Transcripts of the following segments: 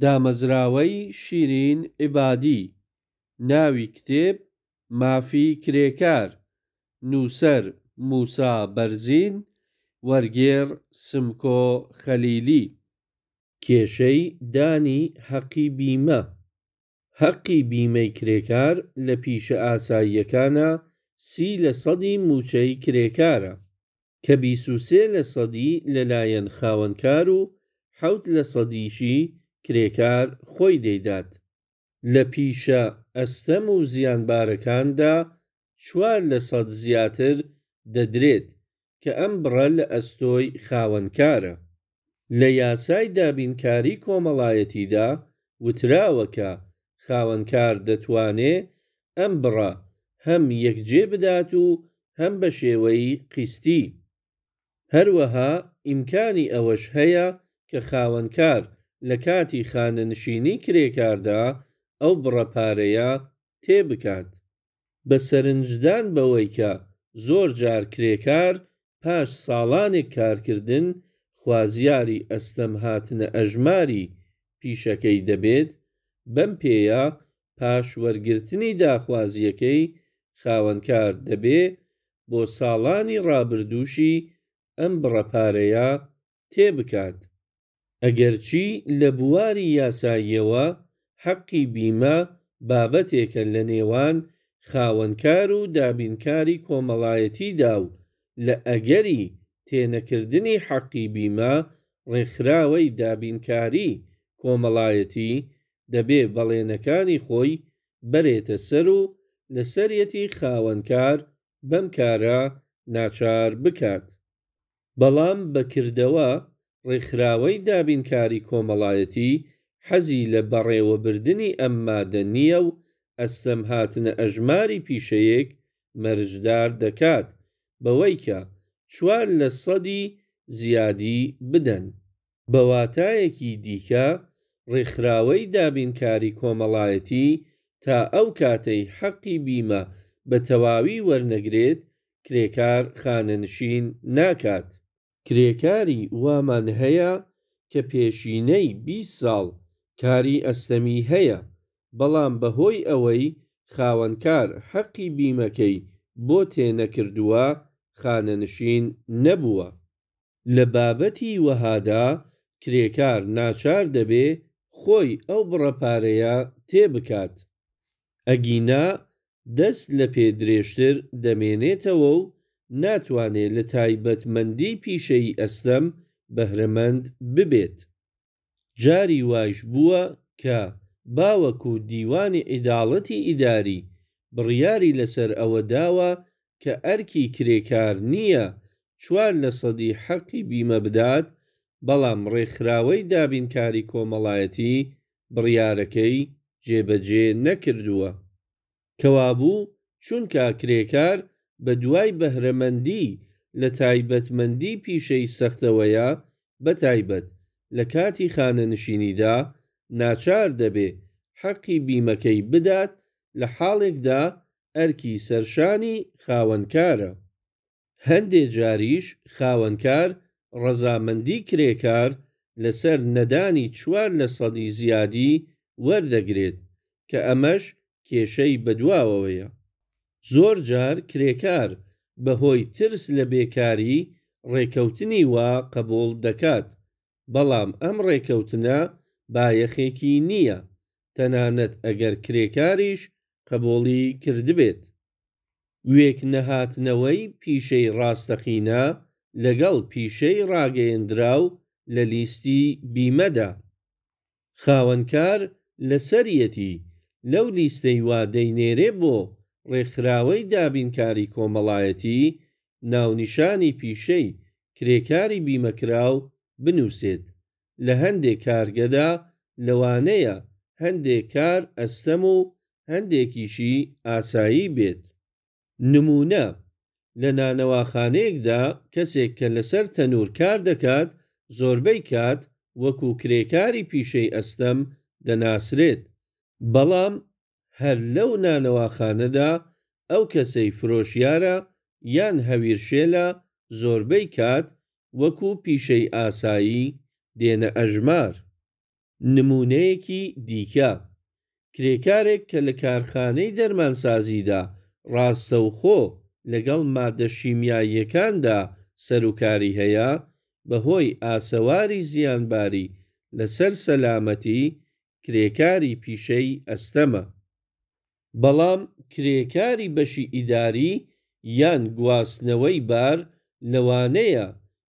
دامەزراوەی شیرین عیبادی، ناوی کتێب، مافی کرێکار، نووسەر، موسا بەرزین، وەرگێڕ، سمکۆ خەلیلی. کێشەی دانی هەقی بیمە. هەقی بیمەی کرێکار لە پیشە ئاساییەکانا 30 لەسەدی موچەی کرێکارە، کە 23 لەسەدی لەلایەن خاوەنکار و 7 لەسەدیشی کرێکار خۆی دەیدات. لە پیشە ئەستەم و زیانبارەکاندا 4 لەسەد زیاتر دەدرێت، کە ئەم بڕە لە ئەستۆی خاوەنکارە. لە یاسای دابینکاری کۆمەڵایەتیدا وتراوە کە خاوەنکار دەتوانێ ئەم بڕە هەم یەکجێ بدات و هەم بە شێوەی قیستی. هەروەها ئیمکانی ئەوەش هەیە کە خاوەنکار لە کاتی خانەنشینی کرێکاردا ئەو بڕە پارەیە تێ بکات. بە سەرنجدان بەوەی کە زۆر جار کرێکار پاش ساڵانێک کارکردن خوازیاری ئەستەم هاتنە ئەژماری پیشەکەی دەبێت، بەم پێیە پاش وەرگرتنی داخوازییەکەی خاوەنکار دەبێ بۆ ساڵانی ڕابردووشی ئەم بڕە پارەیە تێ بکات. ئەگەرچی لە بواری یاساییەوە حەقی بیمە بابەتێکە لە نێوان خاوەنکار و دابینکاری کۆمەڵایەتیدا و لە ئەگەری تێ نەکردنی حەقی بیمە ڕێکخراوەی دابینکاری کۆمەڵایەتی دەبێ بەڵێنەکانی خۆی بەرێتە سەر و لەسەریەتی خاوەنکار بەم کارە ناچار بکات. بەڵام بە کردەوە ڕێکخراوەی دابینکاری کۆمەڵایەتی حەزی لە بەڕێوەبردنی ئەم مادە نییە و ئەستەم هاتنە ئەژماری پیشەیەک مەرجدار دەکات بەوەی کە چوار لەسەدی زیادی بدەن. بە واتایەکی دیکە ڕێکخراوەی دابینکاری کۆمەڵایەتی تا ئەو کاتەی حەقی بیمە بە تەواوی وەرنەگرێت کرێکار خانەنشین ناکات. کرێکاری وامان هەیە کە پێشینەی 20 ساڵ کاری ئەستەمی هەیە، بەڵام بە هۆی ئەوەی خاوەنکار حەقی بیمەکەی بۆ تێ نەکردووە خانەنشین نەبووە. لە بابەتی وەهادا کرێکار ناچار دەبێ خۆی ئەو بڕە پارەیە تێ بکات. ئەگینا دەست لە پێ درێژتر دەمێنێتەوە و ناتوانێ لە تایبەتمەندیی پیشەیی ئەستەم بەهرەمەند ببێت. جاری وایش بووە کە باوەکوو دیوانی عیداڵەتی ئیداری بڕیاری لەسەر ئەوە داوە کە ئەرکی کرێکار نییە چوار لەسەدی حەقی بیمە بدات، بەڵام ڕێکخراوەی دابینکاری کۆمەڵایەتی بڕیارەکەی جێبەجێ نەکردووە. کەوابوو چونکا کرێکار بە دوای بەهرەمەندی لە تایبەتمەندی پیشەی سەختەوەیە، بەتایبەت لە کاتی خانەنشینیدا ناچار دەبێ حەقی بیمەکەی بدات لە حاڵێکدا ئەرکی سەرشانی خاوەنکارە. هەندێ جاریش خاوەنکار ڕەزامەندی کرێکار لەسەر نەدانی چوار لەسەدی زیادی وەردەگرێت، کە ئەمەش کێشەی بەدواوەیە. زۆر جار کرێکار بە هۆی ترس لە بێکاری ڕێکەوتنی وا قەبووڵ دەکات، بەڵام ئەم ڕێکەوتنە بایەخێکی نییە، تەنانەت ئەگەر کرێکاریش قەبووڵی کردبێت. وێکنەهاتنەوەی پیشەی ڕاستەقینە لەگەڵ پیشەی ڕاگەیەندراو لە لیستی بیمەدا. خاوەنکار لەسەریەتی لەو لیستەی وا دەینێرێ بۆ ڕێکخراوەی دابینکاری کۆمەڵایەتی ناونیشانی پیشەی کرێکاری بیمەکراو بنووسێت. لە هەندێ کارگەدا لەوانەیە هەندێ کار ئەستەم و هەندێکیشی ئاسایی بێت. نموونە، لە نانەواخانەیەکدا کەسێک کە لەسەر تەنوور کار دەکات زۆربەی کات وەکوو کرێکاری پیشەی ئەستەم دەناسرێت، بەڵام هەر لەو نانەواخانەدا ئەو کەسەی فرۆشیارە یان هەویرشێلە زۆربەی کات وەکوو پیشەی ئاسایی دێنە ئەژمار. نموونەیەکی دیکە، کرێکارێک کە لە کارخانەی دەرمانسازیدا ڕاستەوخۆ لەگەڵ ماددە شیمیاییەکاندا سەروکاری هەیە، بەهۆی ئاسەواری زیانباری لەسەر سەلامەتی، کرێکاری پیشەی ئەستەمە. بەڵام کرێکاری بەشی ئیداری یان گواستنەوەی بار لەوانەیە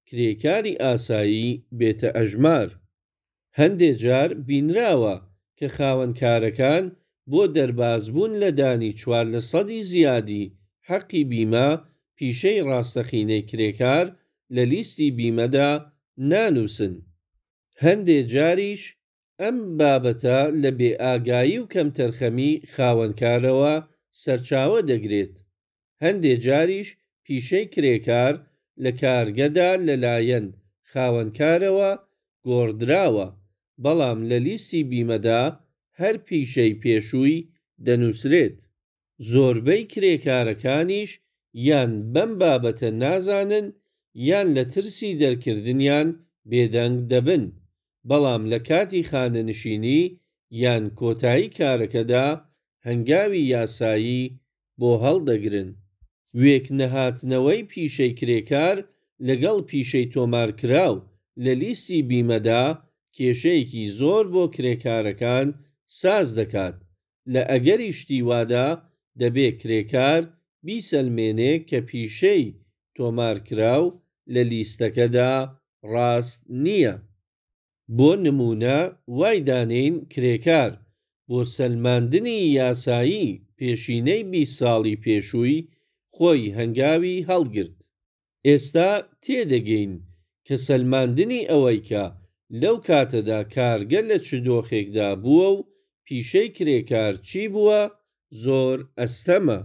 کرێکاری ئاسایی بێتە ئەژمار. هەندێ جار بینراوە کە خاوەنکارەکان بۆ دەربازبوون لە دانی چوار لەسەدی زیادی حەقی بیمە، پیشەی ڕاستەقینەی کرێکار لە لیستی بیمەدا نانووسن. هەندێ جاریش ئەم بابەتە لە بێئاگایی و کەمتەرخەمی خاوەنکارەوە سەرچاوە دەگرێت. هەندێ جاریش پیشەی کرێکار لە کارگەدا لەلایەن خاوەنکارەوە گۆڕدراوە، بەڵام لە لیستی بیمەدا هەر پیشەی پێشووی دەنووسرێت. زۆربەی کرێکارەکانیش یان بەم بابەتە نازانن یان لە ترسی دەرکردنیان بێدەنگ دەبن، بەڵام لە کاتی خانەنشینی یان کۆتایی کارەکەدا هەنگاوی یاسایی بۆ هەڵدەگرن. وێکنەهاتنەوەی پیشەی کرێکار لەگەڵ پیشەی تۆمارکراو لە لیستی بیمەدا کێشەیەکی زۆر بۆ کرێکارەکان ساز دەکات. لە ئەگەری شتی وادا دەبێ کرێکار بیسەلمێنێ کە پیشەی تۆمارکراو لە لیستەکەدا ڕاست نییە. بۆ نموونە وای دانێین کرێکار بۆ سەلماندنی یاسایی پێشینەی 20 ساڵی پێشووی خۆی هەنگاوی هەڵگرت. ئێستا تێدەگەین کە سەلماندنی ئەوەی کە لەو کاتەدا کارگە لە چ دۆخێکدا بووە و پیشەی کرێکار چی بووە زۆر ئەستەمە.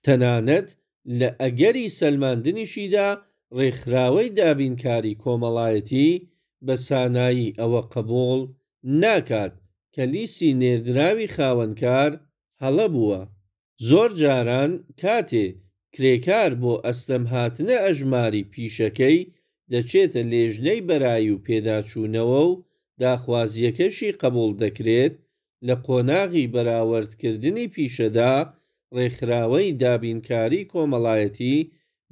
تەنانەت لە ئەگەری سەلماندنیشیدا ڕێکخراوەی دابینکاری کۆمەڵایەتی بە سانایی ئەوە قبووڵ ناکات کە لیستی نێردراوی خاوەنکار هەڵە بووە. زۆر جاران کاتێ کرێکار بۆ ئەستەم هاتنە ئەژماری پیشەکەی دەچێتە لێژنەی بەرایی و پێداچوونەوە و داخوازییەکەشی قبووڵ دەکرێت، لە قۆناغی بەراوەردکردنی پیشەدا ڕێکخراوەی دابینکاری کۆمەڵایەتی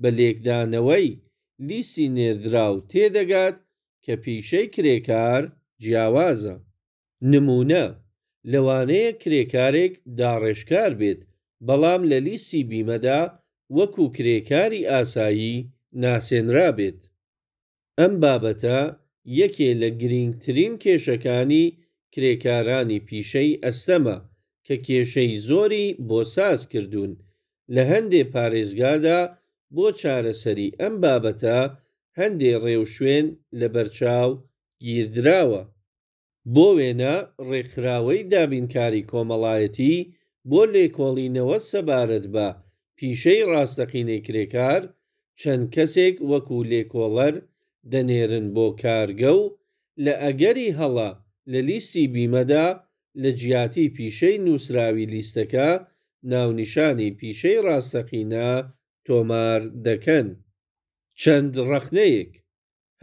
بە لێکدانەوەی لیستی نێردراو تێدەگات کە پیشەی کرێکار جیاوازە. نموونە، لەوانەیە کرێکارێک داڕێژکار بێت، بەڵام لە لیستی بیمەدا وەکوو کرێکاری ئاسایی ناسێنرابێت. ئەم بابەتە یەکێ لە گرینگترین کێشەکانی کرێکارانی پیشەی ئەستەمە کە کێشەی زۆری بۆ ساز کردوون. لە هەندێ پارێزگادا بۆ چارەسەری ئەم بابەتە هەندێ ڕێوشوێن لەبەرچاو گیردراوە. بۆ وێنە ڕێکخراوەی دابینکاری کۆمەڵایەتی بۆ لێکۆڵینەوە سەبارەت بە پیشەی ڕاستەقینەی کرێکار چەند کەسێک وەکوو لێکۆڵەر دەنێرن بۆ کارگە و لە ئەگەری هەڵە لە لیستی بیمەدا لە جیاتی پیشەی نووسراوی لیستەکە ناونیشانی پیشەی ڕاستەقینە تۆمار دەکەن. چەند ڕەخنەیەک.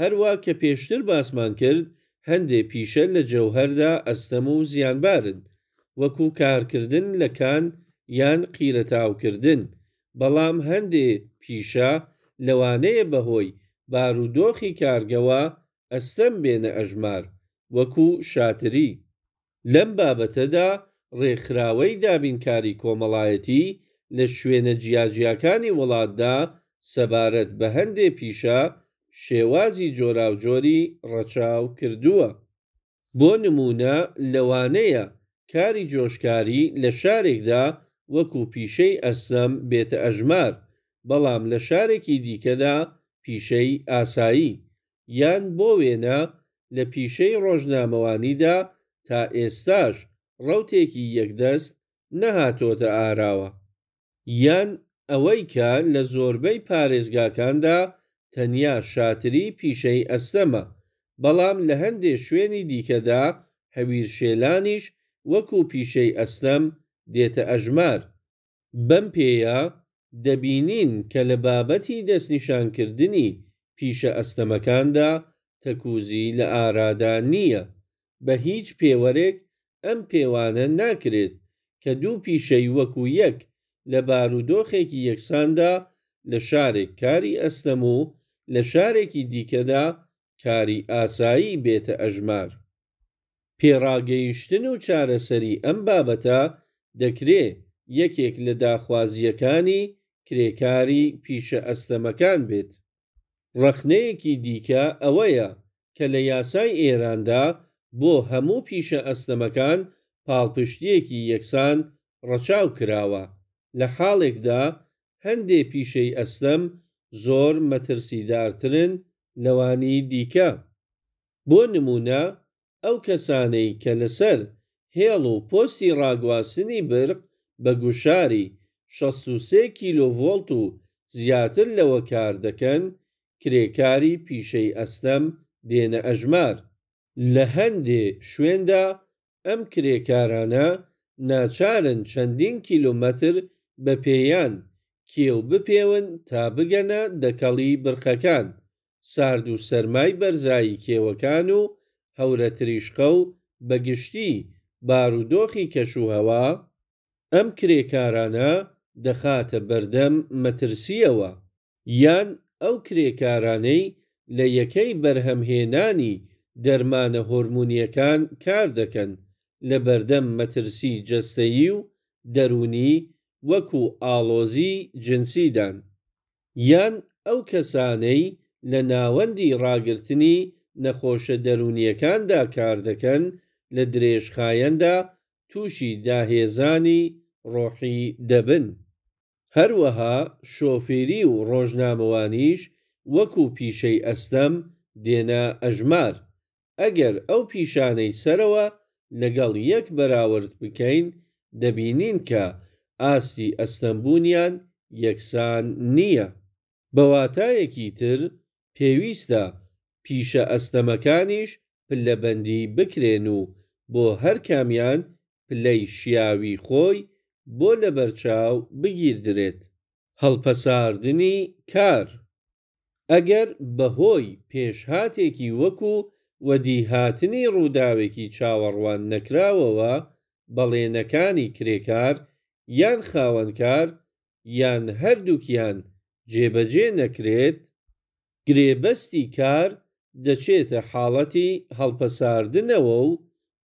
هەروا کە پێشتر باسمان کرد هەندێ پیشە لە جەوهەردا ئەستەم و زیانبارن، وەکوو کارکردن لە کان یان قیرەتاوکردن، بەڵام هەندێ پیشە لەوانەیە بەهۆی بارودۆخی کارگەوە ئەستەم بێنە ئەژمار، وەکوو شاتری. لەم بابەتەدا ڕێکخراوەی دابینکاری کۆمەڵایەتی لە شوێنە جیاجیاکانی وڵاتدا سەبارەت بە هەندێ پیشە شێوازی جۆراوجۆری ڕەچاو کردووە. بۆ نموونە لەوانەیە کاری جۆشکاری لە شارێکدا وەکوو پیشەی ئەستەم بێتە ئەژمار، بەڵام لە شارێکی دیکەدا پیشەی ئاسایی. یان بۆ وێنە لە پیشەی ڕۆژنامەوانیدا تا ئێستاش ڕەوتێکی یەکدەست نەهاتۆتە ئاراوە. یان ئەوەی کە لە زۆربەی پارێزگاکاندا تەنیا شاتری پیشەی ئەستەمە، بەڵام لە هەندێ شوێنی دیکەدا هەویرشێلانیش وەکوو پیشەی ئەستەم دێتە ئەژمار. بەم پێیە دەبینین کە لە بابەتی دەستنیشانکردنی پیشە ئەستەمەکاندا تەکووزی لە ئارادا نییە. بە هیچ پێوەرێک ئەم پێوانە ناکرێت کە دوو پیشەی وەکوو یەک لە بارودۆخێکی یەکساندا لە شارێک کاری ئەستەم و لە شارێکی دیکەدا کاری ئاسایی بێتە ئەژمار. پێڕاگەیشتن و چارەسەری ئەم بابەتە دەکرێ یەکێک لە داخوازییەکانی کرێکاری پیشە ئەستەمەکان بێت. ڕەخنەیەکی دیکە ئەوەیە کە لە یاسای ئێراندا بۆ هەموو پیشە ئەستەمەکان پاڵپشتییەکی یەکسان ڕەچاو کراوە، لە حاڵێکدا هەندێ پیشەی ئەستەم زۆر مەترسیدارترن لەوانی دیکە. بۆ نموونە ئەو کەسانەی کە لەسەر هێڵ و پۆستی ڕاگواستنی برق بە گوشاری 63 کیلۆڤۆڵت و زیاتر لەوە کار دەکەن، کرێکاری پیشەی ئەستەم دێنە ئەژمار. لە هەندێ شوێندا ئەم کرێکارانە ناچارن چەندین کیلۆمەتر بە پێیان کێو بپێون تا بگەنە دەکەڵی برقەکان، سارد و سەرمای بەرزایی کێوەکان و هەورەتریشقە و بە گشتی بارودۆخی کەشوهەوا، ئەم کرێکارانە دەخاتە بەردەم مەترسییەوە. یان ئەو کرێکارانەی لە یەکەی بەرهەمهێنانی دەرمانە هۆرمۆنییەکان کار دەکەن، لە بەردەم مەترسیی جەستەیی و دەروونی وەکوو ئاڵۆزیی جنسیدان. یان ئەو کەسانەی لە ناوەندی ڕاگرتنی نەخۆشە دەروونییەکاندا کار دەکەن، لە درێژخایەندا تووشی داهێزانی ڕۆحی دەبن. هەروەها شۆفیری و ڕۆژنامەوانیش وەکوو پیشەی ئەستەم دێنە ئەژمار. ئەگەر ئەو پیشانەی سەرەوە لەگەڵ یەک بەراورد بکەین، دەبینین کە ئاستی ئەستەمبوونیان یەکسان نییە. بە واتایەکی تر پێویستە پیشە ئەستەمەکانیش پلەبەندی بکرێن و بۆ هەر کامیان پلەی شیاوی خۆی بۆ لەبەرچاو بگیردرێت. هەڵپەساردنی کار. ئەگەر بەهۆی پێشهاتێکی وەکوو وەدیهاتنی ڕووداوێکی چاوەڕوان نەکراوەوە بەڵێنەکانی کرێکار یان خاوەنکار یان هەردووکیان جێبەجێ نەکرێت، گرێبەستی کار دەچێتە حاڵەتی هەڵپەساردنەوە و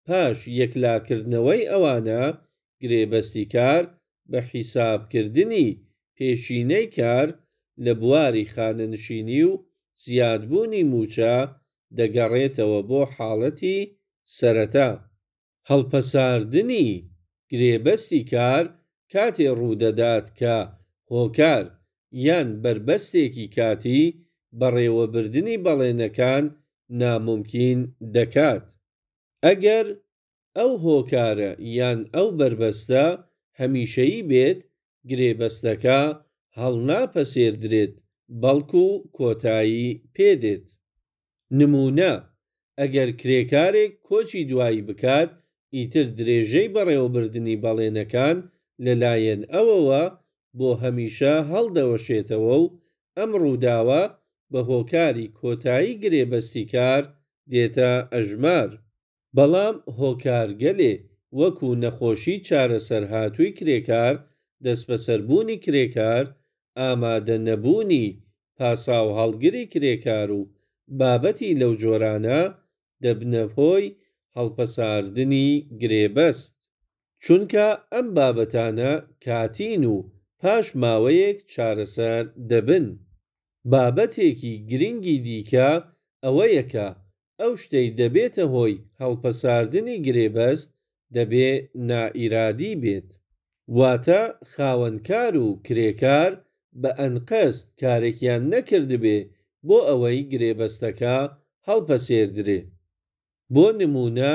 پاش یەکلاکردنەوەی ئەوانە گرێبەستی کار بە حیسابکردنی پێشینەی کار لە بواری خانەنشینی و زیادبوونی مووچە دەگەڕێتەوە بۆ حاڵەتی سەرەتا. هەڵپەساردنی گرێبەستی کار کاتێ ڕوودەدات کە هۆکار یان بەربەستێکی کاتی بەڕێوەبردنی بەڵێنەکان نامومکین دەکات. ئەگەر ئەو هۆکارە یان ئەو بەربەستە هەمیشەیی بێت، گرێبەستەکە هەڵناپەسێردرێت بەڵکو کۆتایی پێدێت. نموونە، ئەگەر کرێکارێک کۆچی دوایی بکات ئیتر درێژەی بەڕێوەبردنی بەڵێنەکان لەلایەن ئەوەوە بۆ هەمیشە هەڵدەوەشێتەوە و ئەم ڕووداوە بە هۆکاری کۆتایی گرێبەستی کار دێتە ئەژمار. بەڵام هۆکارگەلێ وەکوو نەخۆشی چارەسەرهاتووی کرێکار، دەستبەسەربوونی کرێکار، ئامادەنەبوونی پاساوهەڵگری کرێکار و بابەتی لەو جۆرانە دەبنە هۆی هەڵپەساردنی گرێبەست. چونکە ئەم بابەتانە کاتین و پاش ماوەیەک چارەسەر دەبن. بابەتێکی گرینگی دیکە ئەوەیە کە ئەو شتەی دەبێتە هۆی هەڵپەساردنی گرێبەست دەبێ نائیرادی بێت. واتە خاوەنکار و کرێکار بە ئەنقەست کارێکیان نەکردبێ بۆ ئەوەی گرێبەستەکە هەڵپەسێردرێ. بۆ نموونە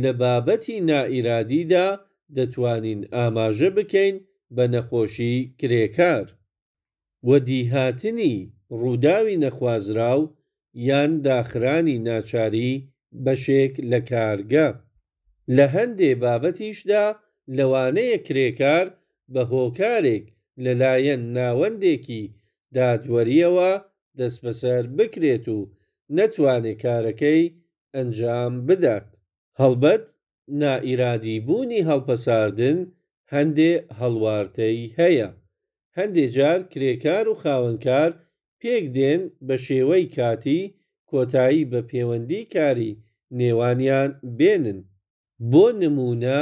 لە بابەتی نائیرادیدا دەتوانین ئاماژە بکەین بە نەخۆشی کرێکار. وەدیهاتنی ڕووداوی نەخوازراو یان داخرانی ناچاری بەشێک لە کارگە. لە هەندێ بابەتیشدا لەوانەیە کرێکار بە هۆکارێک لەلایەن ناوەندێکی دادوەرییەوە دەستبەسەر بکرێت و نەتوانێ کارەکەی ئەنجام بدات. هەڵبەت نائیرادی بوونی هەڵپەساردن هەندێ هەڵوارتەی هەیە. هەندێ جار کرێکار و خاوەنکار پێک دێن بە شێوەی کاتی کۆتایی بە پێوەندی کاری نێوانیان بێنن. بۆ نموونە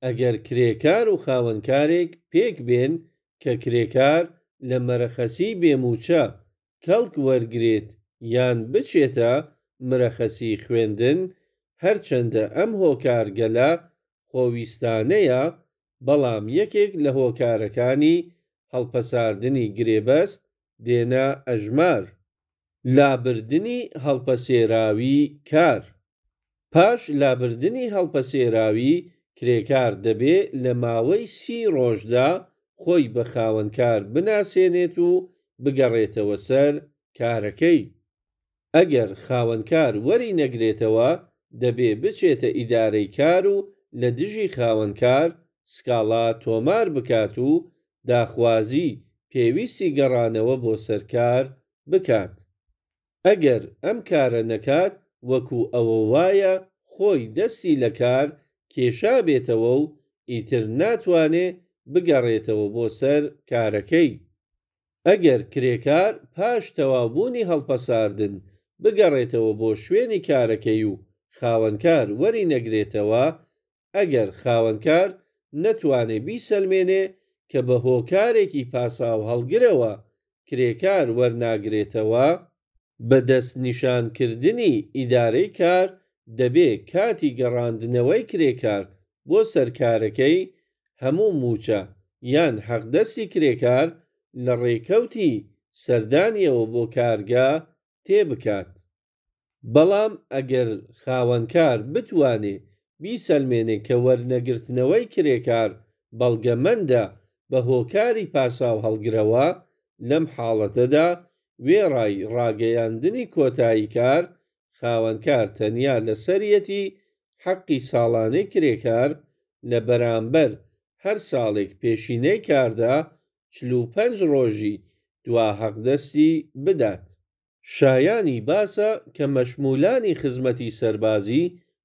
ئەگەر کرێکار و خاوەنکارێک پێک بێن کە کرێکار لە مەرەخەسیی بێ مووچە کەڵک وەرگرێت یان بچێتە مرەخەسی خوێندن، هەرچەندە ئەم هۆکارگەلە خۆویستانەیە، بەڵام یەکێک لە هۆکارەکانی هەڵپەساردنی گرێبەست دێنە ئەژمار. لابردنی هەڵپەسێراوی کار. پاش لابردنی هەڵپەسێراوی، کرێکار دەبێ لە ماوەی 30 ڕۆژدا خۆی بە خاوەنکار بناسێنێت و بگەڕێتەوە سەر کارەکەی. ئەگەر خاوەنکار وەری نەگرێتەوە، دەبێ بچێتە ئیدارەی کار و لە دژی خاوەنکار سکاڵا تۆمار بکات و داخوازیی پێویستی گەڕانەوە بۆ سەر کار بکات. ئەگەر ئەم کارە نەکات وەکوو ئەوە وایە خۆی دەستی لە کار کێشابێتەوە و ئیتر ناتوانێ بگەڕێتەوە بۆ سەر کارەکەی. ئەگەر کرێکار پاش تەواوبوونی هەڵپەساردن بگەڕێتەوە بۆ شوێنی کارەکەی و خاوەنکار وەری نەگرێتەوە، ئەگەر خاوەنکار نەتوانێ بیسەلمێنێ کە بە هۆکارێکی پاساوهەڵگرەوە کرێکار وەرناگرێتەوە، بە دەستنیشانکردنی ئیدارەی کار دەبێ کاتی گەڕاندنەوەی کرێکار بۆ سەر کارەکەی هەموو مووچە یان حەقدەستی کرێکار لە ڕێکەوتی سەردانیەوە بۆ کارگە تێ بکات. بەڵام ئەگەر خاوەنکار بتوانێ بیسەلمێنێ کە وەرنەگرتنەوەی کرێکار بەڵگەمەندە بە هۆکاری پاساوهەڵگرەوە، لەم حاڵەتەدا وێڕای ڕاگەیاندنی کۆتایی کار، خاوەنکار تەنیا لەسەریەتی حەقی ساڵانەی کرێکار لە بەرامبەر هەر ساڵێک پێشینەی کاردا 45 ڕۆژی دوا حەقدەستی بدات. شایانی باسە کە مەشموولانی خزمەتی سەربازی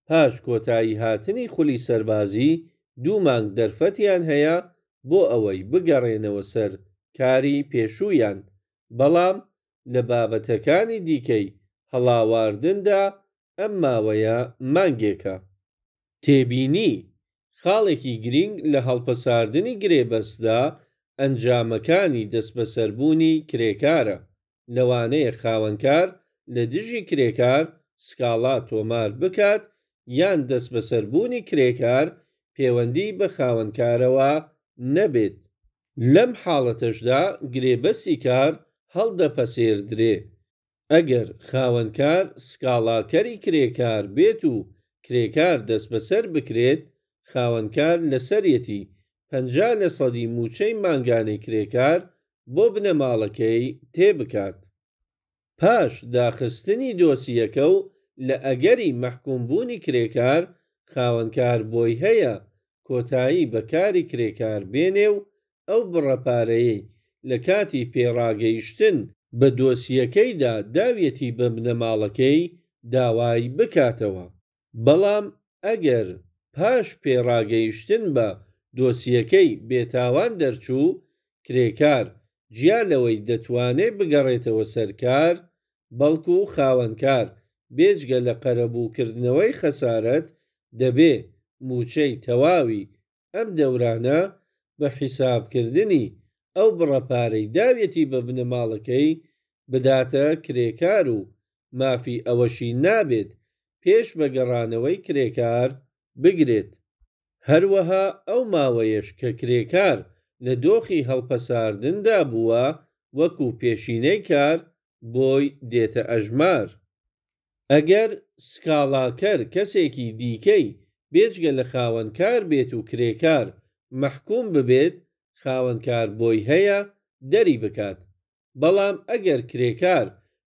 پاش کۆتایی هاتنی خولی سەربازی دوو مانگ دەرفەتیان هەیە بۆ ئەوەی بگەڕێنەوە سەر کاری پێشوویان، بەڵام لە بابەتەکانی دیکەی هەڵاواردندا ئەم ماوەیە مانگێکە. تێبینی، خاڵێکی گرینگ لە هەڵپەساردنی گرێبەستدا ئەنجامەکانی دەستبەسەربوونی کرێکارە. لەوانەیە خاوەنکار لە دژی کرێکار سکاڵا تۆمار بکات یان دەستبەسەربوونی کرێکار پێوەندیی بە خاوەنکارەوە نەبێت. لەم حاڵەتەشدا گرێبەستی کار هەڵدەپەسێردرێ. ئەگەر خاوەنکار سکاڵاکەری کرێکار بێت و کرێکار دەستبەسەر بکرێت، خاوەنکار لەسەریەتی 50 لەسەدی مووچەی مانگانەی کرێکار بۆ بنەماڵەکەی تێ بکات. پاش داخستنی دۆسیەکە و لە ئەگەری مەحکوومبوونی کرێکار، خاوەنکار بۆی هەیە کۆتایی بە کاری کرێکار بێنێ و ئەو بڕە پارەیەی لە کاتی پێڕاگەیشتن بە دۆسیەکەیدا داویەتی بە بنەماڵەکەی داوای بکاتەوە. بەڵام ئەگەر پاش پێڕاگەیشتن بە دۆسیەکەی بێتاوان دەرچوو، کرێکار جیا لەوەی دەتوانێ بگەڕێتەوە سەر کار، بەڵکوو خاوەنکار بێجگە لە قەرەبووکردنەوەی خەسارەت دەبێ مووچەی تەواوی ئەم دەورانە بە حیسابکردنی ئەو بڕە پارەی داویەتی بە بنەماڵەکەی بداتە کرێکار و مافی ئەوەشی نابێت پێش بە گەڕانەوەی کرێکار بگرێت. هەروەها ئەو ماوەیەش کە کرێکار لە دۆخی هەڵپەساردندا بووە وەکوو پێشینەی کار بۆی دێتە ئەژمار. ئەگەر سکاڵاکەر کەسێکی دیکەی بێجگە لە خاوەنکار بێت و کرێکار مەحکووم ببێت، خاوەنکار بۆی هەیە دەری بکات. بەڵام ئەگەر کرێکار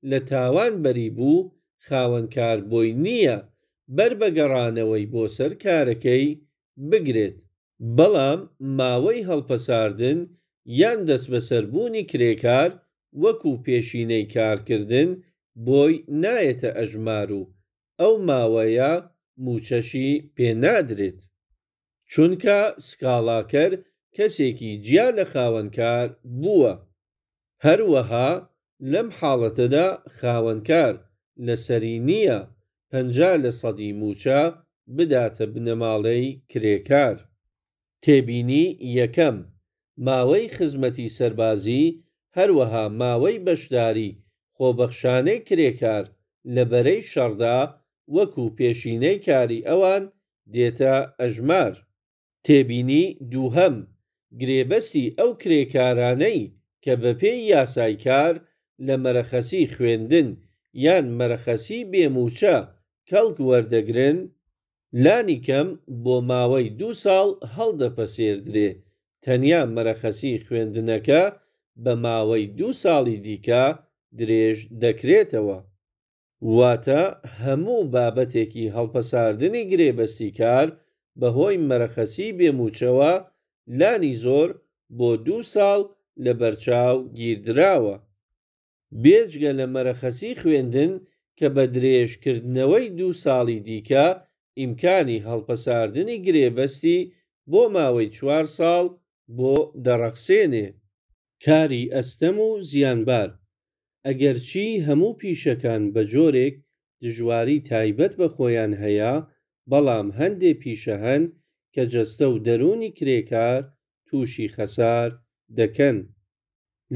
لە تاوان بەری بوو، خاوەنکار بۆی نییە بەر بە گەڕانەوەی بۆ سەر کارەکەی بگرێت. بەڵام ماوەی هەڵپەساردن یان دەستبەسەربوونی کرێکار وەکوو پێشینەی کارکردن بۆی نایەتە ئەژمار و ئەو ماوەیە مووچەشی پێ نادرێت. چونکە سکاڵاکەر کەسێکی جیا لە خاوەنکار بووە. هەروەها لەم حاڵەتەدا خاوەنکار لەسەری نییە 50 لەسەدی مووچە بداتە بنەماڵەی کرێکار. تێبینی یەکەم، ماوەی خزمەتی سەربازی، هەروەها ماوەی بەشداری خۆبەخشانەی کرێکار لە بەرەی شەڕدا وەکوو پێشینەی کاری ئەوان دێتە ئەژمار. تێبینی دووهەم، گرێبەستی ئەو کرێکارانەی کە بەپێی یاسای کار لە مەرەخەسی خوێندن یان مەرەخەسی بێ مووچە کەڵک وەردەگرن، لانیکەم بۆ ماوەی دوو ساڵ هەڵدەپەسێردرێ، تەنیا مەرەخەسی خوێندنەکە بە ماوەی دوو ساڵی دیکە درێژ دەکرێتەوە. واتە هەموو بابەتێکی هەڵپەساردنی گرێبەستی کار بە هۆی مەرەخەسی بێ مووچەوە لانی زۆر بۆ دوو ساڵ لە بەرچاو گیردراوە. بێجگە لە مەرەخەسی خوێندن کە بە درێژ کردنەوەی دوو ساڵی دیکە ئیمکانی هەڵپەساردنی گرێبەستی بۆ ماوەی چوار ساڵ بۆ دەڕەخسێنێ. کاری ئەستەم و زیانبار، ئەگەرچی هەموو پیشەکان بە جۆرێک دژواری تایبەت بە خۆیان هەیە، بەڵام هەندێ پیشە هەن کە جەستە و دەروونی کرێکار تووشی خەسار دەکەن.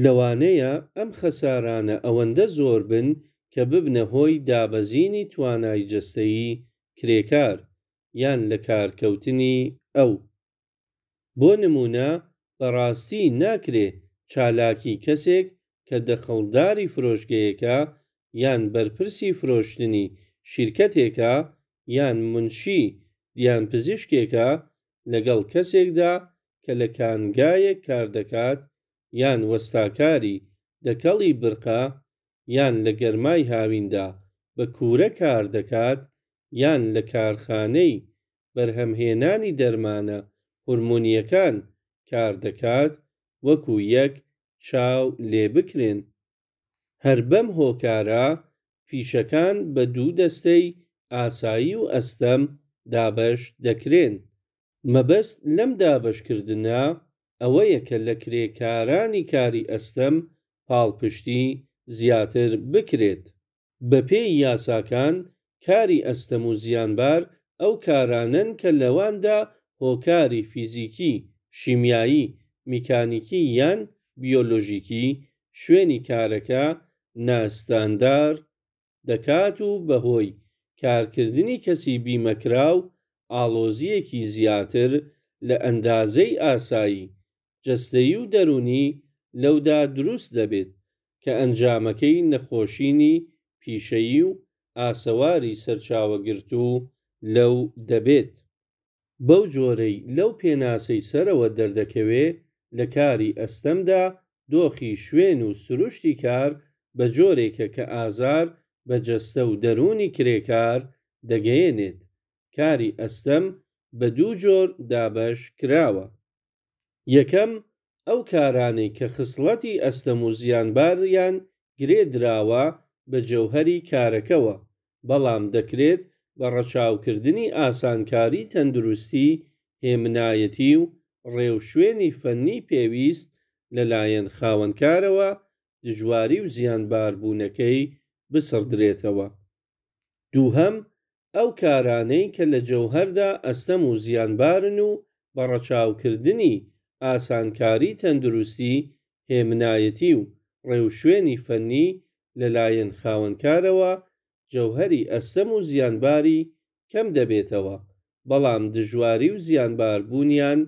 لەوانەیە ئەم خەسارانە ئەوەندە زۆر بن کە ببنە هۆی دابەزینی توانای جەستەیی کرێکار، یان لەکارکەوتنی ئەو. بۆ نموونە بەڕاستی ناکرێ چالاکی کەسێک کە دەخڵداری فرۆشگەیەکە یان بەرپرسی فرۆشتنی شیرکەتێکە یان مونشی دیانپزیشکێکە لەگەڵ کەسێکدا کە لە کانگایەک کار دەکات یان وەستاکاری دەکەڵی برقە یان لە گەرمای هاویندا بە کوورە کار دەکات یان لە کارخانەی بەرهەمهێنانی دەرمانە هورمۆنییەکان کار دەکات وەکوو یەک چاو لێ بکرێن. هەر بەم هۆکارە پیشەکان بە دوو دەستەی ئاسایی و ئەستەم دابەش دەکرێن. مەبەست لەم دابەشکردنە ئەوەیە کە لە کرێکارانی کاری ئەستەم پاڵپشتی زیاتر بکرێت. بەپێی یاساکان کاری ئەستەم و زیانبار ئەو کارانەن کە لەواندا هۆکاری فیزیکی، شیمیایی، میکانیکی یان بیۆلۆژیکی شوێنی کارەکە ناستاندار دەکات و بەهۆی کارکردنی کەسی بیمەکراو ئاڵۆزییەکی زیاتر لە ئەندازەی ئاسایی جەستەیی و دەروونی لەودا دروست دەبێت کە ئەنجامەکەی نەخۆشینی پیشەیی و ئاسەواری سەرچاوەگرتوو لەو دەبێت. بەو جۆرەی لەو پێناسەی سەرەوە دەردەکەوێ لە کاری ئەستەمدا دۆخی شوێن و سروشتی کار بە جۆرێکە کە ئازار بە جەستە و دەروونی کرێکار دەگەیەنێت. کاری ئەستەم بە دوو جۆر دابەش کراوە. یەکەم، ئەو کارانەی کە خسڵەتی ئەستەم و زیانباریان گرێ دراوە بە جەوهەری کارەکەوە، بەڵام دەکرێت بە ڕەچاوکردنی ئاسانکاری تەندروستی، هێمنایەتی و ڕێوشوێنی فەنی پێویست لەلایەن خاوەنکارەوە دژواری و زیانباربوونەکەی بسڕدرێتەوە. دووهەم، ئەو کارانەی کە لە جەوهەردا ئەستەم و زیانبارن و بە ڕەچاوکردنی ئاسانکاری تەندروستی، هێمنایەتی و ڕێوشوێنی فەنی لەلایەن خاوەنکارەوە جەوهەری ئەستەم و زیانباری کەم دەبێتەوە، بەڵام دژواری و زیانباربوونیان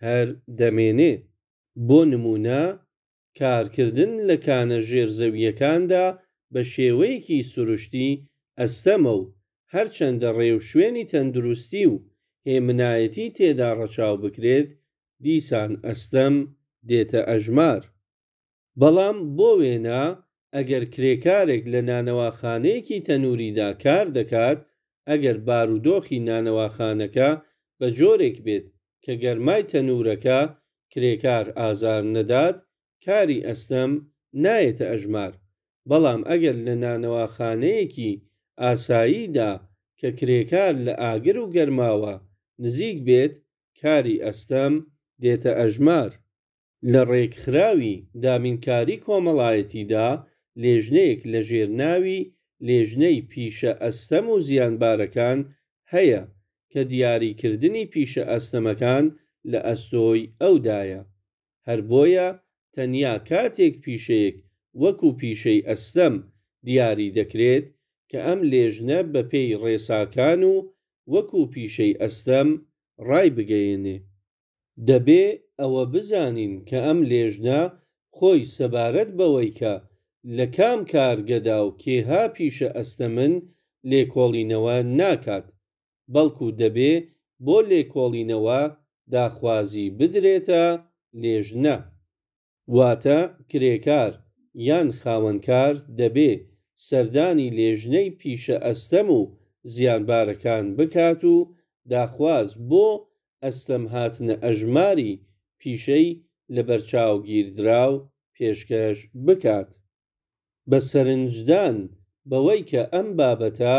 هەر دەمێنێ. بۆ نموونە کارکردن لە کانە ژێرزەوییەکاندا بە شێوەیەکی سروشتی ئەستەمە و هەرچەندە ڕێوشوێنی تەندروستی و هێمنایەتی تێدا ڕەچاو بکرێت، دیسان ئەستەم دێتە ئەژمار. بەڵام بۆ وێنە ئەگەر کرێکارێک لە نانەواخانەیەکی تەنووریدا کار دەکات، ئەگەر بارودۆخی نانەواخانەکە بە جۆرێک بێت کە گەرمای تەنوورەکە کرێکار ئازار نەدات، کاری ئەستەم نایەتە ئەژمار. بەڵام ئەگەر لە نانەواخانەیەکی ئاساییدا کە. کە کرێکار لە ئاگر و گەرماوە نزیک بێت کاری ئەستەم دێتە ئەژمار. لە ڕێکخراوی دابینکاری کۆمەڵایەتیدا لێژنەیەک لە ژێر ناوی لێژنەی پیشە ئەستەم و زیانبارەکان هەیە کە دیاریکردنی پیشە ئەستەمەکان لە ئەستۆی ئەودایە. هەر بۆیە تەنیا کاتێک پیشەیەک وەکوو پیشەی ئەستەم دیاری دەکرێت کە ئەم لێژنە بە پێی ڕێساکان و وەکوو پیشەی ئەستەم ڕایبگەیێنێ. دەبێ ئەوە بزانین کە ئەم لێژنە خۆی سەبارەت بەوەی کە لە کام کارگەدا و کێها پیشە ئەستەمن لێکۆڵینەوە ناکات، بەڵکوو دەبێ بۆ لێکۆڵینەوە داخوازی بدرێتە لێژنە. واتە کرێکار یان خاوەنکار دەبێ سەردانی لێژنەی پیشە ئەستەم و زیانبارەکان بکات و داخواز بۆ ئەستەم هاتنە ئەژماری پیشەی لەبەرچاوگیردراو پێشکەش بکات. بە سەرنجدان بەوەی کە ئەم بابەتە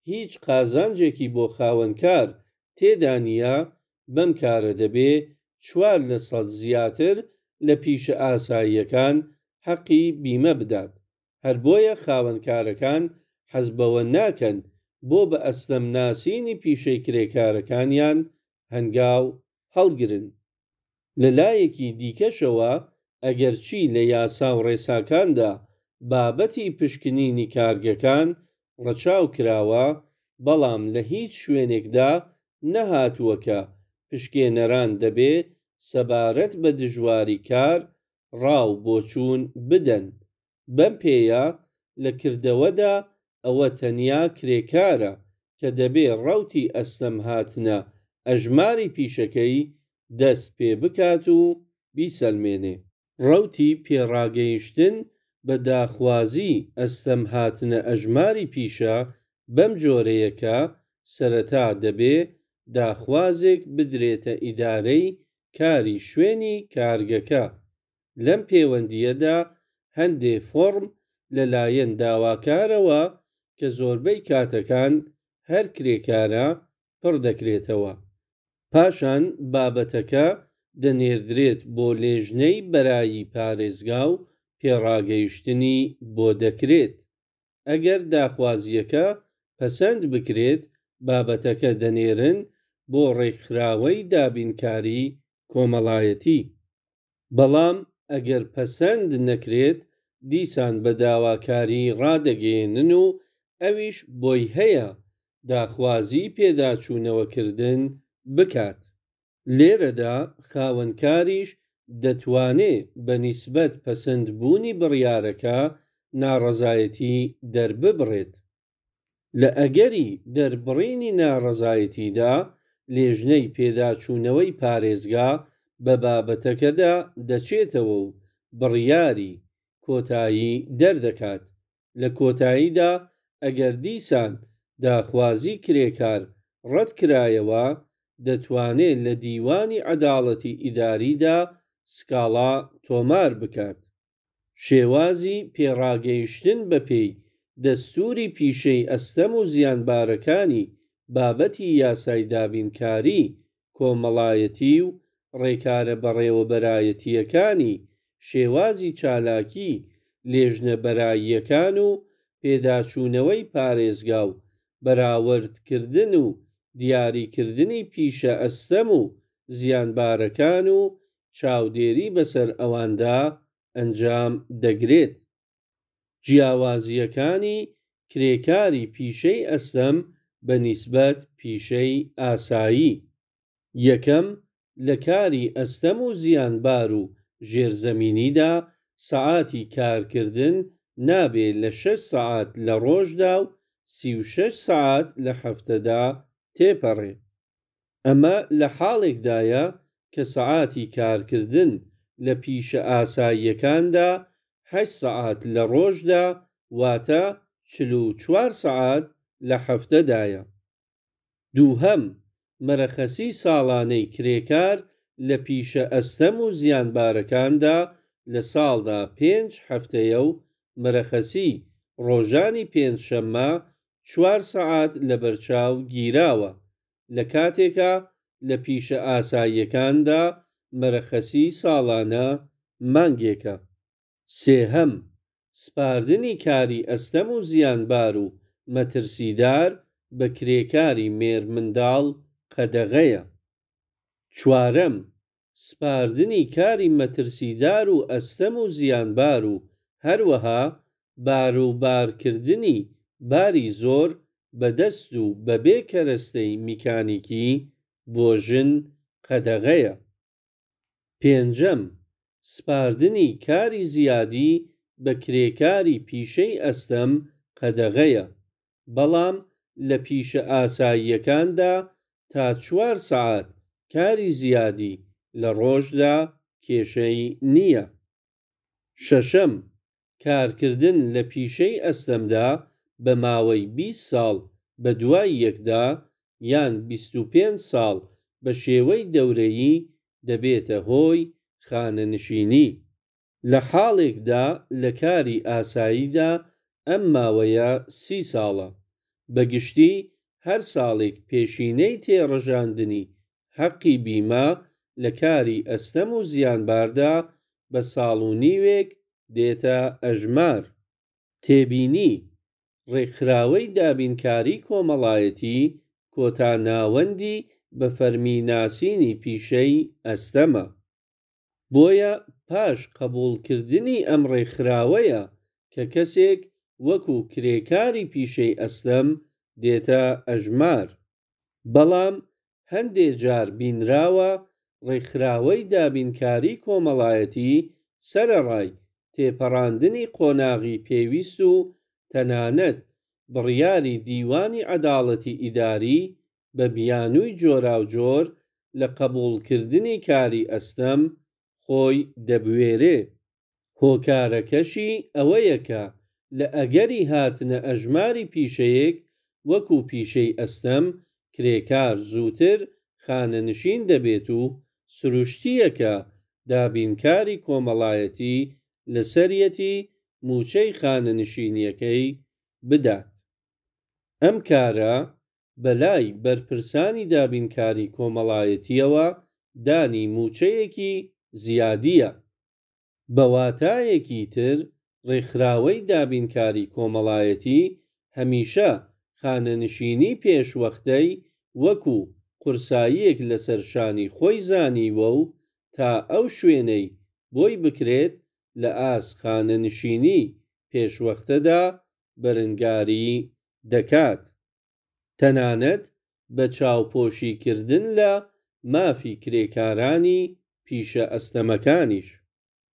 هیچ قازانجێکی بۆ خاوەنکار تێدا نییە، بەم کارە دەبێ 4% زیاتر لە پیشە ئاساییەکان حەقی بیمە بدات. هەر بۆیە خاوەنکارەکان حەز بەوە ناکەن بۆ بە ئەستەم ناسینی پیشەی کرێکارەکانیان هەنگاو هەڵگرن. لە لایەکی دیکەشەوە ئەگەرچی لە یاسا و ڕێساکاندا بابەتی پشکنینی کارگەکان ڕەچاو کراوە، بەڵام لە هیچ شوێنێکدا نەهاتووە کە پشکێنەران دەبێ سەبارەت بە دژواری کار ڕا و بۆچوون بدەن. بەم پێیە لە کردەوەدا ئەوە تەنیا کرێکارە کە دەبێ ڕەوتی ئەستەم هاتنە ئەژماری پیشەکەی دەست پێ بکات و بیسەلمێنێ. ڕەوتی پێڕاگەیشتن بە داخوازیی ئەستەم هاتنە ئەژماری پیشە بەم جۆرەیە کە سەرەتا دەبێ داخوازێک بدرێتە ئیدارەی کاری شوێنی کارگەکە. لەم پێوەندییەدا هەندێ فۆڕم لە لایەن داواکارەوە کە زۆربەی کاتەکان هەر کرێکارە پڕ دەکرێتەوە. پاشان بابەتەکە دەنێردرێت بۆ لێژنەی بەرایی پارێزگا و پێڕاگەیشتنی بۆ دەکرێت. ئەگەر داخوازییەکە پەسەند بکرێت بابەتەکە دەنێرن بۆ ڕێکخراوەی دابینکاری کۆمەڵایەتی. بەڵام ئەگەر پەسەند نەکرێت دیسان بە داواکاری ڕادەگەیەنن و ئەویش بۆی هەیە داخوازی پێداچوونەوەکردن بکات. لێرەدا خاوەنکاریش دەتوانێ بە نیسبەت پەسند بوونی بڕیارەکە ناڕەزایەتی دەرببڕێت. لە ئەگەری دەربڕینی ناڕەزایەتیدا لێژنەی پێداچوونەوەی پارێزگا بە بابەتەکەدا دەچێتەوە و بڕیاری کۆتایی دەردەکات. لە کۆتاییدا ئەگەر دیسان داخوازی کرێکار ڕەت کرایەوە، دەتوانێ لە دیوانی عەداڵەتی ئیداریدا سکاڵا تۆمار بکات. شێوازی پێڕاگەیشتن بەپێی دەستووری پیشەی ئەستەم و زیانبارەکانی بابەتی یاسای دابینکاری کۆمەڵایەتی و ڕێکارە بەڕێوەبەرایەتییەکانی شێوازی چالاکی لێژنە بەراییەکان و پێداچوونەوەی پارێزگا و بەراوردکردن و دیاریکردنی پیشە ئەستەم و زیانبارەکان و چاودێری بەسەر ئەواندا ئەنجام دەگرێت. جیاوازییەکانی کرێکاری پیشەی ئەستەم بە نیسبەت پیشەی ئاسایی. یەکەم، لە کاری ئەستەم و زیانبار و ژێرزەمینیدا سەعاتی کارکردن نابێ لە شەش سەعات لە ڕۆژدا و 36 سەعات لە هەفتەدا تێپەڕێ. ئەمە لە حاڵێکدایە کە سەعاتی کارکردن لە پیشە ئاساییەکاندا هەشت سەعات لە ڕۆژدا واتە 44 سەعات لە هەفتەدایە. دووهەم، مەرەخەسی ساڵانەی کرێکار لە پیشە ئەستەم و زیانبارەکاندا لە ساڵدا پێنج هەفتەیە و مەرەخەسی ڕۆژانی پێنجشەممە، چوار سەعات لەبەرچاو گیراوە، لە کاتێکا لە پیشە ئاساییەکاندا مەرەخەسیی ساڵانە مانگێکە. سێهەم، سپاردنی کاری ئەستەم و زیانبار و مەترسیدار بە کرێکاری مێرمنداڵ قەدەغەیە. چوارەم، سپاردنی کاری مەترسیدار و ئەستەم و زیانبار و هەروەها باروبارکردنی باری زۆر بە دەست و بەبێ کەرەستەی میکانیکی بۆ ژن قەدەغەیە. پێنجەم، سپاردنی کاری زیادی بە کرێکاری پیشەی ئەستەم قەدەغەیە، بەڵام لە پیشە ئاساییەکاندا تا چوار سەعات کاری زیادی لە ڕۆژدا کێشەی نییە. شەشەم، کارکردن لە پیشەی ئەستەمدا بە ماوەی 20 ساڵ بە دوای یەکدا یان 25 ساڵ بە شێوەی دەورەیی دەبێتە هۆی خانەنشینی. لە حاڵێکدا لە کاری ئاساییدا ئەم ماوەیە 30 ساڵە. بە گشتی هەر ساڵێک پێشینەی تێڕژاندنی حەقی بیمە لە کاری ئەستەم و زیانباردا بە ساڵ و نیوێک دێتە ئەژمار. تێبینی، ڕێکخراوەی دابینکاری کۆمەڵایەتی کۆتا ناوەندی بە فەرمی ناسینی پیشەی ئەستەمە. بۆیە پاش قبووڵکردنی ئەم ڕێکخراوەیە کە کەسێک وەکوو کرێکاری پیشەی ئەستەم دێتە ئەژمار. بەڵام هەندێ جار بینراوە ڕێکخراوەی دابینکاری کۆمەڵایەتی سەرەڕای تێپەڕاندنی قۆناغی پێویست و تەنانەت بڕیاری دیوانی عەداڵەتی ئیداری، بە بیانووی جۆراوجۆر لە قبووڵکردنی کاری ئەستەم خۆی دەبوێرێ. هۆکارەکەشی ئەوەیە کە لە ئەگەری هاتنە ئەژماری پیشەیەک وەکوو پیشەی ئەستەم، کرێکار زووتر خانەنشین دەبێت و سروشتییە کە دابینکاری کۆمەڵایەتی لەسەریەتی مووچەی خانەنشینییەکەی بدات. ئەم کارە بە لای بەرپرسانی دابینکاری کۆمەڵایەتییەوە دانی مووچەیەکی زیادییە. بە واتایەکی تر ڕێکخراوەی دابینکاری کۆمەڵایەتی هەمیشە خانەنشینی پێشوەختەی وەکوو قورساییەک لەسەر شانی خۆی زانیوە و تا ئەو شوێنەی بۆی بکرێت لە ئاست خانەنشینی پێشوەختەدا بەرنگاری دەکات. تەنانەت بە چاوپۆشیکردن لە مافی کرێکارانی پیشە ئەستەمەکانیش.